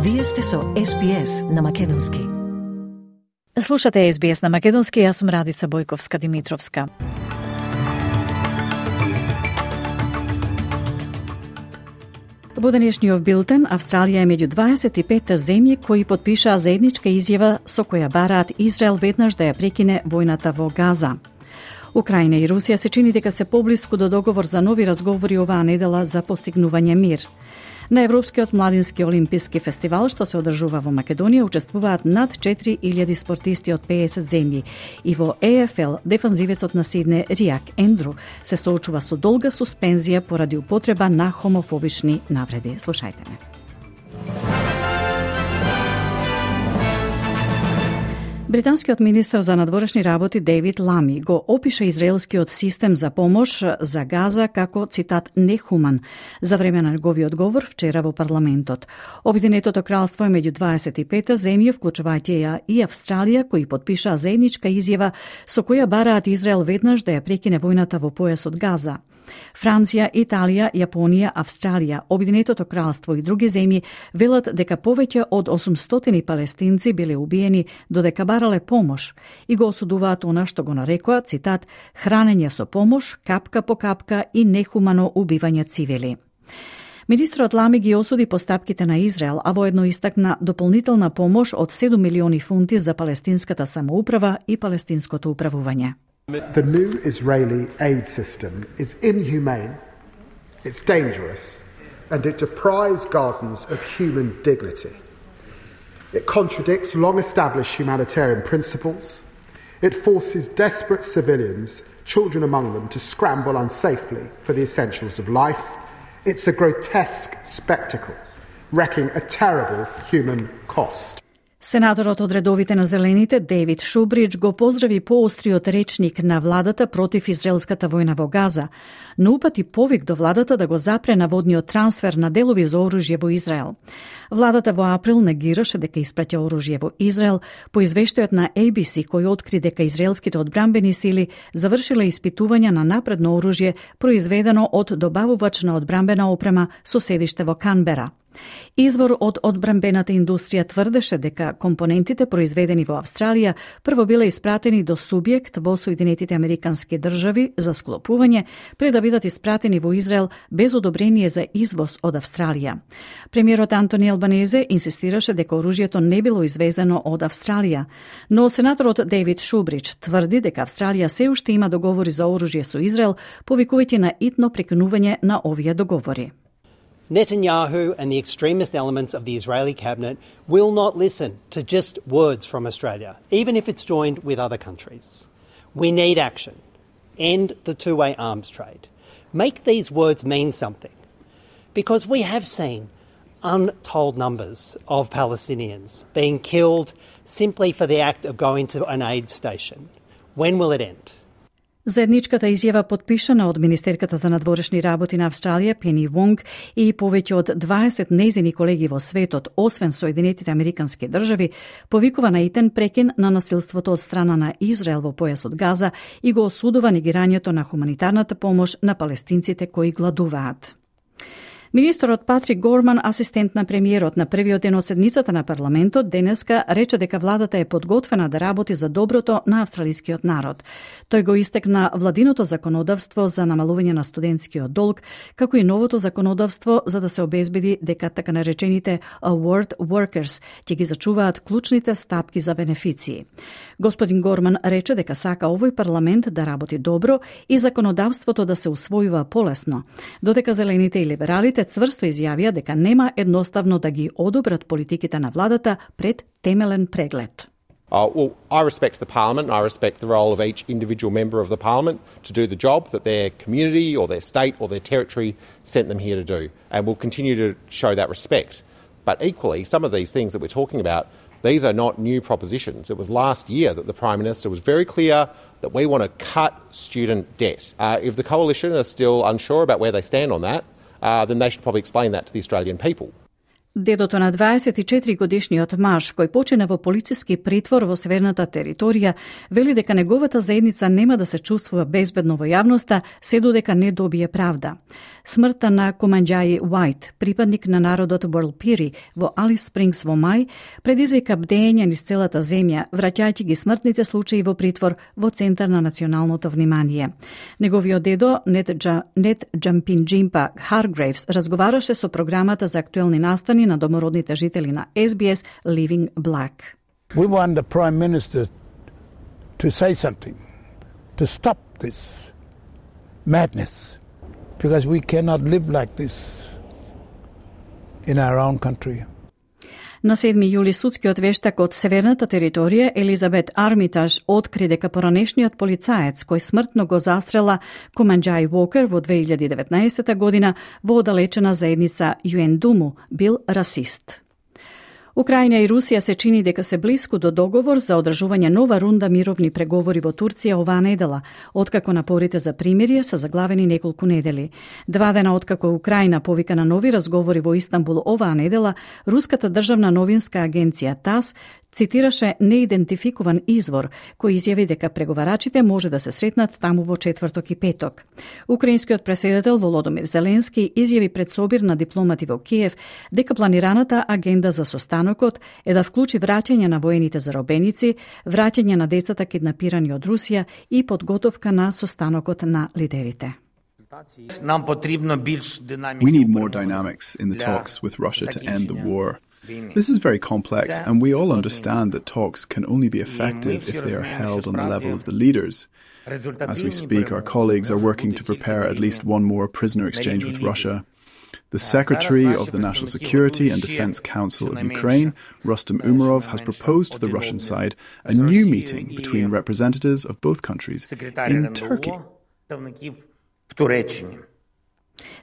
Вие сте со SBS на Македонски. Слушате SBS на Македонски, јас сум Радица Бојковска-Димитровска. Во денешниот билтен, Австралија е меѓу 25 земји кои потпишаа заедничка изјава со која бараат Израел веднаш да ја прекине војната во Газа. Украина и Русија се чини дека се поблиску до договор за нови разговори оваа недела за постигнување мир. На Европскиот младински олимписки фестивал, што се одржува во Македонија, учествуваат над 4000 спортисти од 50 земји и во ЕФЛ дефанзивецот на Сидне Риак Ендру се соочува со долга суспензија поради употреба на хомофобични навреди. Слушајте ме. Британскиот министар за надворешни работи Дейвид Лами го опиша израелскиот систем за помош за Газа како, цитат, нехуман за време на неговиот говор вчера во парламентот. Обединетото кралство е меѓу 25 земји, вклучувајќи ја и Австралија, кои потпишаа заедничка изјава со која бараат Израел веднаш да ја прекине војната во појасот Газа. Франција, Италија, Јапонија, Австралија, Обединетото кралство и други земји велат дека повеќе од 800 палестинци биле убиени додека барале помош и го осудуваат она што го нарекоа, цитат, хранење со помош, капка по капка и нехумано убивање цивили. Министрот Лами ги осуди постапките на Израел, а воедно истакна дополнителна помош од 7 милиони фунти за палестинската самоуправа и палестинското управување. The new Israeli aid system is inhumane, it's dangerous, and it deprives Gazans of human dignity. It contradicts long-established humanitarian principles. It forces desperate civilians, children among them, to scramble unsafely for the essentials of life. It's a grotesque spectacle, wreaking a terrible human cost. Сенаторот од редовите на Зелените, Дейвид Шубридж, го поздрави поостриот речник на владата против израелската војна во Газа, но упати повик до владата да го запре наводниот трансфер на делови за оружје во Израел. Владата во април негираше дека испраќа оружје во Израел по извештајот на ABC, кој откри дека израелските одбранбени сили завршиле испитувања на напредно оружје произведено од добавувач на одбранбена опрема со седиште во Канбера. Извор од одбранбената индустрија тврдеше дека компонентите произведени во Австралија прво биле испратени до субјект во Соединетите Американски држави за склопување, пред да бидат испратени во Израел без одобрение за извоз од Австралија. Премиерот Антони Албанезе инсистираше дека оружјето не било извезено од Австралија, но сенаторот Дейвид Шубридж тврди дека Австралија се уште има договори за оружје со Израел, повикувајќи на итно прекинување на овие договори. Netanyahu and the extremist elements of the Israeli cabinet will not listen to just words from Australia, even if it's joined with other countries. We need action. End the two-way arms trade. Make these words mean something. Because we have seen untold numbers of Palestinians being killed simply for the act of going to an aid station. When will it end? Заедничката изјава потпишана од министерката за надворешни работи на Австралија Пени Вонг и повеќе од 20 нејзини колеги во светот, освен Соединетите Американски држави, повикува на итен прекин на насилството од страна на Израел во појасот Газа и го осудува негирањето на хуманитарната помош на палестинците кои гладуваат. Министерот Патрик Горман, асистент на премиерот на првиот ден од седницата на парламентот, денеска рече дека владата е подготвена да работи за доброто на австралискиот народ. Тој го истекна владиното законодавство за намалување на студентскиот долг, како и новото законодавство за да се обезбеди дека така наречените award workers ќе ги зачуваат клучните стапки за бенефиции. Господин Горман рече дека сака овој парламент да работи добро и законодавството да се усвојува полесно, додека зелените и либералите цврсто изјавија дека нема едноставно да ги одобрат политиките на владата пред темелен преглед. Well, I respect the Parliament and I respect the role of each individual member of the Parliament to do the job that their community or their state or their territory sent them here to do. And we'll continue to show that respect. But equally, some of these things that we're talking about, these are not new propositions. It was last year that the Prime Minister was very clear that we want to cut student debt. If the Coalition are still unsure about where they stand on that, then they should probably explain that to the Australian people. Дедото на 24-годишниот маж, кој почина во полициски притвор во северната територија, вели дека неговата заедница нема да се чувствува безбедно во јавноста, се додека не добие правда. Смртта на Команџаи Уајт, припадник на народот Уорлпири во Алис Спрингс во мај, предизвика бдење низ целата земја, враќајќи ги смртните случаи во притвор во центар на националното внимание. Неговиот дедо, Нет Джампинџимпа Харгрейвс, разговараше со програмата за актуелни настани на домородните жители на SBS Living Black. We want the Prime Minister to say something, to stop this madness, because we cannot live like this in our own country. На 7 јули судскиот вештак од северната територија Елизабет Армитаж откри дека поранешниот полицаец кој смртно го застрела Команџаи Уокер во 2019 година во оддалечена заедница Јуендуму бил расист. Украина и Русија се чини дека се блиску до договор за одржување нова рунда мировни преговори во Турција оваа недела, откако напорите за примирие се заглавени неколку недели. 2 дена откако Украина повика на нови разговори во Истанбул оваа недела, руската државна новинска агенција ТАСС цитираше неидентификуван извор, кој изјави дека преговарачите може да се сретнат таму во четврток и петок. Украинскиот преседател Володомир Зеленски изјави пред собир на дипломати во Киев дека планираната агенда за состанокот е да вклучи враќање на воените заробеници, враќање на децата киднапирани од Русија и подготовка на состанокот на лидерите. We need more dynamics in the talks with Russia to end the war. This is very complex, and we all understand that talks can only be effective if they are held on the level of the leaders. As we speak, our colleagues are working to prepare at least one more prisoner exchange with Russia. The Secretary of the National Security and Defense Council of Ukraine, Rustem Umerov, has proposed to the Russian side a new meeting between representatives of both countries in Turkey.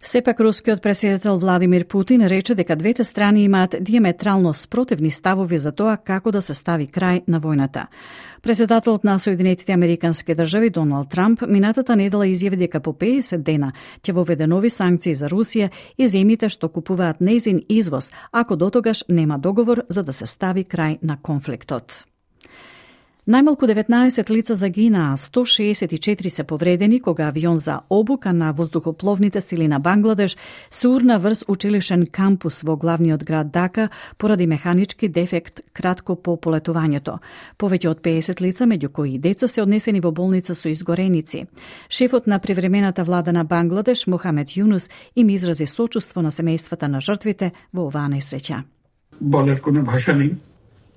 Сепак рускиот преседател Владимир Путин рече дека двете страни имаат диаметрално спротивни ставови за тоа како да се стави крај на војната. Преседателот на Соединетите Американски држави Доналд Трамп минатата недела изјави дека по 50 дена ќе воведе нови санкции за Русија и земјите што купуваат нејзин извоз, ако дотогаш нема договор за да се стави крај на конфликтот. Најмалку 19 лица загинаа, 164 се повредени кога авион за обука на воздухопловните сили на Бангладеш се урна врз училишен кампус во главниот град Дака поради механички дефект кратко по полетувањето. Повеќе од 50 лица, меѓу кои и деца, се однесени во болница со изгореници. Шефот на привремената влада на Бангладеш, Мохамед Јунус, им изрази сочувство на семејствата на жртвите во оваа несреќа.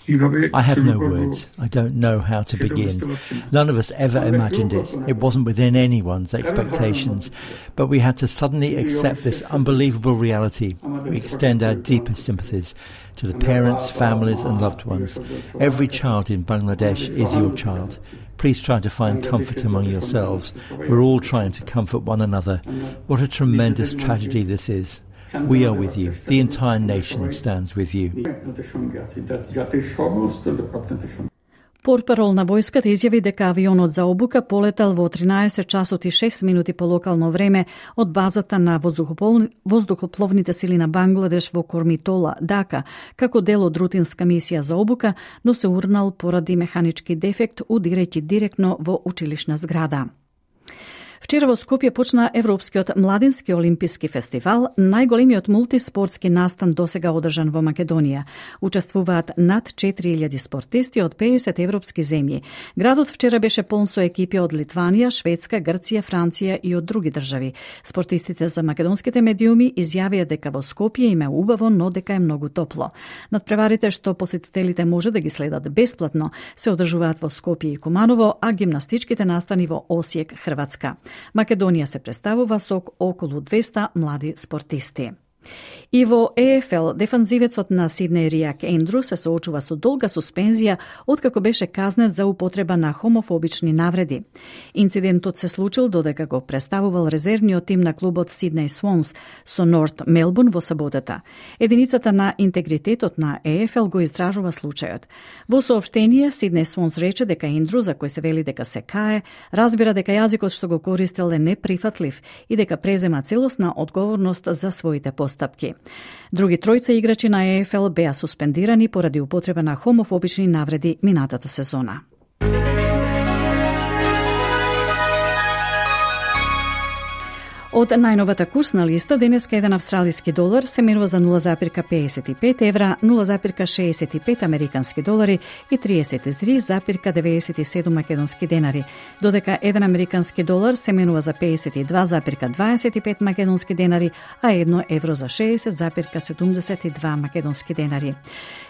I have no words. I don't know how to begin. None of us ever imagined it. It wasn't within anyone's expectations. But we had to suddenly accept this unbelievable reality. We extend our deepest sympathies to the parents, families and loved ones. Every child in Bangladesh is your child. Please try to find comfort among yourselves. We're all trying to comfort one another. What a tremendous tragedy this is. We are with you. The entire nation stands with you. Портпарол на војската изјави дека авионот за обука полетал во 13 часот и 6 минути по локално време од базата на воздухопловните сили на Бангладеш во Кормитола, Дака, како дел од рутинска мисија за обука, но се урнал поради механички дефект, удирајќи директно во училишна зграда. Вчера во Скопје почна Европскиот младински олимписки фестивал, најголемиот мултиспортски настан досега одржан во Македонија. Учествуваат над 4000 спортисти од 50 европски земји. Градот вчера беше полн со екипи од Литванија, Шведска, Грција, Франција и од други држави. Спортистите за македонските медиуми изјавија дека во Скопје им е убаво, но дека е многу топло. Надпреварите што посетителите може да ги следат бесплатно се одржуваат во Скопје и Куманово, а гимнастичките настани во Осијек, Хрватска. Македонија се представува со околу 200 млади спортисти. И во ЕФЛ, дефанзивецот на Сиднеј Риак Ендру се соочува со долга суспензија откако беше казнет за употреба на хомофобични навреди. Инцидентот се случил додека го представувал резервниот тим на клубот Сиднеј Свонс со Норт Мелбурн во саботата. Единицата на интегритетот на ЕФЛ го изражува случајот. Во соопштение, Сиднеј Свонс рече дека Ендру, за кој се вели дека се кае, разбира дека јазикот што го користел е неприфатлив и дека презема целосна одговорност за своите постапки. постапки. Други тројца играчи на ЕФЛ беа суспендирани поради употреба на хомофобични навреди минатата сезона. Од најновата курсна листа, денеска еден австралиски долар се менува за 0,55 евра, 0,65 американски долари и 33,97 македонски денари, додека еден американски долар се менува за 52,25 македонски денари, а 1 евро за 60,72 македонски денари.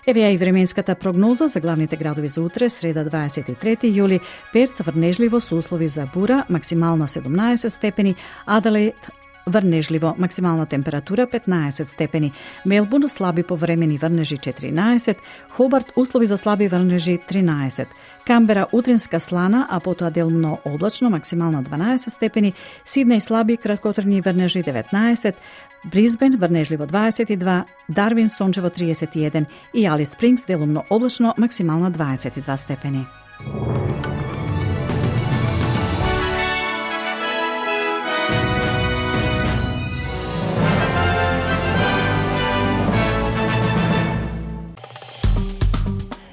Еве ја и временската прогноза за главните градови за утре, среда 23 јули. Перт врнежливо со услови за бура, максимална 17 степени, Аделаид врнежливо, максимална температура 15 степени, Мелбурн слаби повремени врнежи 14, Хобарт услови за слаби врнежи 13, Камбера утринска слана, а потоа делумно облачно, максимална 12 степени, Сиднеј слаби краткотрajни врнежи 19, Брисбен врнежливо 22, Дарвин сончево 31 и Алис Спрингс делумно облачно, максимална 22 степени.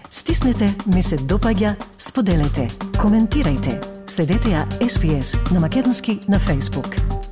Стиснете, ми се допаѓа, споделете, коментирајте. Следете ја SPS на македонски на Facebook.